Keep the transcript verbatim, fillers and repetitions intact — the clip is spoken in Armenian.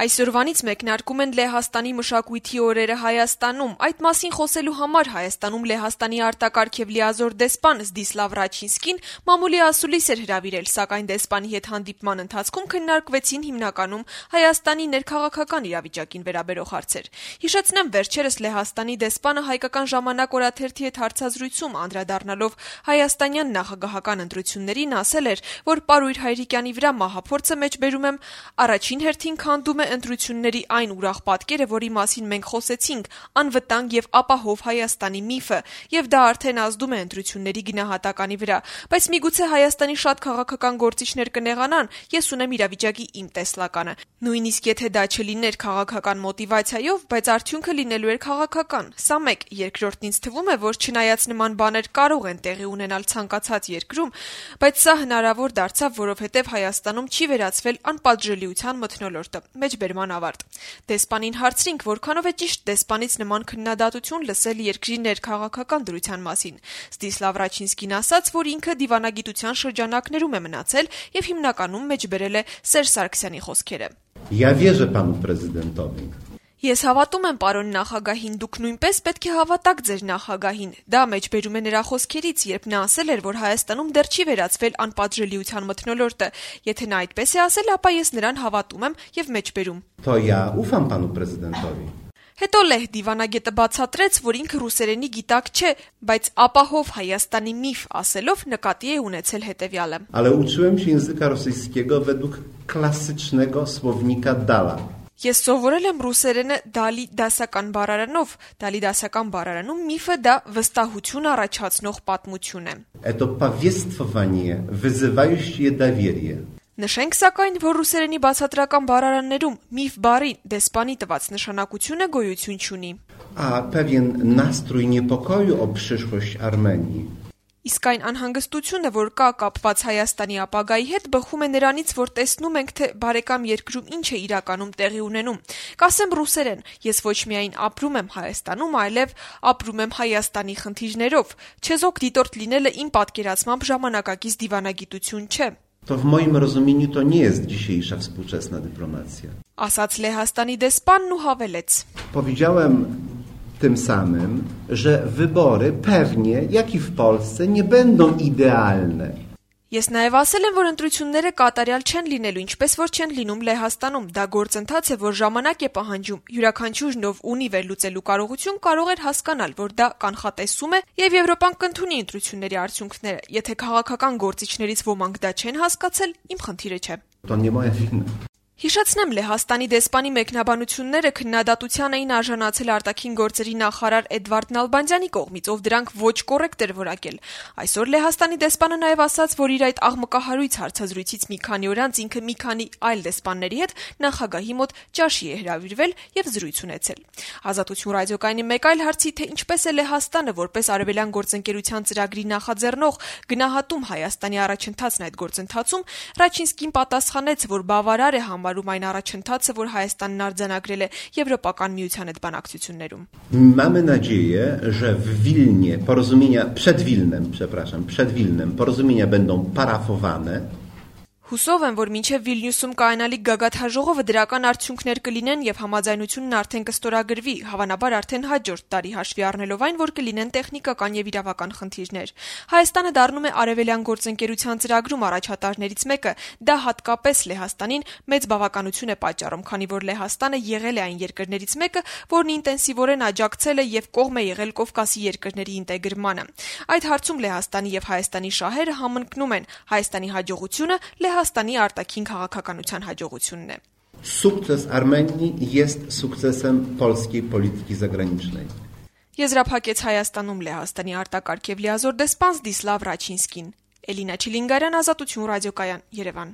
Այսօրվանից մեկնարկում են Լեհաստանի մշակույթի օրերը Հայաստանում։ Այդ մասին խոսելու համար Հայաստանում Լեհաստանի արտակարգ եւ լիազոր դեսպան Զդիսլավ Ռաչինսկին մամուլի ասուլիս էր հրավիրել, սակայն դեսպանի հետ հանդիպման ընթացքում քննարկվեցին հիմնականում Հայաստանի ներքաղաքական իրավիճակին վերաբերող հարցեր։ Հիշեցնեմ, վերջերս Լեհաստանի դեսպանը Հայկական ժամանակ օրաթերթի հետ հարցազրույցում անդրադառնալով հայաստանյան նախագահական ընտրություններին ասել էր, որ Պարույր Հայրիկյանի վրա մահափորձը մեջբերում եմ առաջին հերթին քանդում է ընտրությունների այն ուրախ պատկերը, որի մասին մենք խոսեցինք, անվտանգ եւ ապահով Հայաստանի միֆը, եւ դա արդեն ազդում է ընտրությունների գնահատականի վրա, բայց միգուցե Հայաստանի շատ քաղաքական գործիչներ կնեղանան, ես ունեմ իրավիճակի իմ տեսլականը։ Նույնիսկ եթե դա չլիներ քաղաքական մոտիվացիայով, բայց արդյունքը լինելու էր քաղաքական։ Սա մեկ, երկրորդն ինձ թվում է, որ չնայած նման բաներ կարող են տեղի ունենալ ցանկացած երկրում, բայց սա հնարավոր դարձավ, որովհետեւ Հայաստանում չի վերածվել անպատժելիության մթնոլորտը։ Մեջբերման ավարտ։ Դեսպանին հարցրինք, որքանով է ճիշտ դեսպանից նման քննադատություն լսել երկրի ներքաղաքական դրության մասին։ Զդիսլավ Ռաչինսկին ասաց, որ ինքը դիվանագիտության շրջանակներում է մնացել եւ հիմնականում մեջբերել է Սերժ Սարգսյանի խոսքերը։ Я верю пану президентові. Ես հավատում եմ պարոն նախագահին, դուք նույնպես պետք է հավատաք ձեր նախագահին։ Դա մեջբերում է նրա խոսքերից, երբ նա ասել էր, որ Հայաստանում դեռ չի վերածվել անպատժելիության մթնոլորտը։ Եթե նա այդպես է ասել, ապա ես նրան հավատում եմ եւ մեջբերում։ То я уфам пану президентові. Հետո Լեհ դիվանագետը բացատրեց, որ ինքը ռուսերենի գիտակ չէ, բայց ապահով Հայաստանի միֆ ասելով նկատի է ունեցել հետեւյալը. Ale uczyłem się języka rosyjskiego według klasycznego słownika Dala. Ես սովորել եմ ռուսերենը Դալի դասական բառարանով, Դալի դասական բառարանում միֆը դա վստահություն առաջացնող պատմություն է։ Это повествование, вызывающее доверие. Նշենք սակայն, որ ռուսերենի բացատրական բառարաններում միֆ բառի դեսպանի տված նշանակությունը գոյություն չունի։ A pewien nastrój niepokoju o przyszłość Armenii. Իսկ այն անհանգստությունը, որ կա կապված Հայաստանի ապագայի հետ, բխում է նրանից, որ տեսնում ենք, թե բարեկամ երկրում ինչ է իրականում տեղի ունենում։ Կասեմ ռուսերեն, ես ոչ միայն ապրում եմ Հայաստանում, այլև ապրում եմ Հայաստանի խնդիրներով։ Չեզոք դիտորդ լինելը իմ պատկերացմամբ ժամանակակից դիվանագիտություն չէ։ To w moim rozumieniu to nie jest dzisiejsza współczesna dyplomacja. Ասաց Լեհաստանի դեսպանն ու հավելեց. Powiedziałem tym samym, że wybory pewnie, jak i w Polsce, nie będą idealne. Ես նաև ասել եմ, որ ընտրությունները կատարյալ չեն լինելու, ինչպես որ չեն լինում Լեհաստանում։ Դա գործընթաց է, որ ժամանակ է պահանջում։ Յուրաքանչյուրն ով ունի վերլուծելու կարողություն, կարող էր հասկանալ, որ դա կանխատեսում է, եւ Եվրոպան կընդունի ընտրությունների արդյունքները։ Եթե քաղաքական գործիչներից ոմանք դա չեն հասկացել, իմ խնդիրը չէ։ To nie moja wina. Հիշեցնեմ, Լեհաստանի դեսպանի մեկնաբանությունները քննադատության էին արժանացել արտաքին գործերի նախարար Էդվարդ Նալբանդյանի կողմից, ով դրանք ոչ կոռեկտ էր որակել։ Այսօր Լեհաստանի դեսպանը նաև ասաց, որ իր այդ աղմկահարույց հարցազրույցից մի քանի օր անց ինքը մի քանի այլ դեսպանների հետ նախագահի մոտ ճաշի է հրավիրվել եւ զրույց ունեցել։ Ազատություն ռադիոկայանի մեկ այլ հարցի, թե ինչպես է Լեհաստանը որպես արևելյան գործընկերության ծրագրի նախաձեռնող գնահատում Հայաստանի առաջընթացն այդ գործընթացում, Ռաչինսկին պատասխանեց, որ բավարար է համարում այն առաջընթացը, որ Հայաստանն արձանագրել է Եվրոպական միության հետ բանակցություններում։ Mamy nadzieję, że w Wilnie porozumienia przed Wilnem, przepraszam, przed Wilnem porozumienia będą parafowane. Հուսով եմ, որ մինչև Վիլնյուսում կայանալիք գագաթաժողովը դրական արդյունքներ կլինեն եւ համաձայնությունն արդեն կստորագրվի, հավանաբար արդեն հաջորդ տարի հաշվի առնելով այն, որ կլինեն տեխնիկական եւ իրավական խնդիրներ։ Հայաստանը դառնում է արևելյան գործընկերության ծրագրում առաջատարներից մեկը, դա հատկապես Լեհաստանին մեծ բավականություն է պատճառում, քանի որ Լեհաստանը եղել է այն երկրներից մեկը, որն ինտենսիվորեն աջակցել է եւ կողմ է եղել Կովկասի երկրների ինտեգրմանը։ Այդ հարցում Լեհաստանի եւ Հայաստանի շահերը համընկնում են, Հայաստանի հաջողությունը Հայաստանի արտաքին քաղաքականության հաջողությունն է։ Sukces Armenii jest sukcesem polskiej polityki zagranicznej. Եզրափակեց Հայաստանում Լեհաստանի արտակարգ եւ լիազոր դեսպան Զդիսլավ Ռաչինսկին։ Էլինա Չիլինգարյան, Ազատություն ռադիոկայան, Երևան։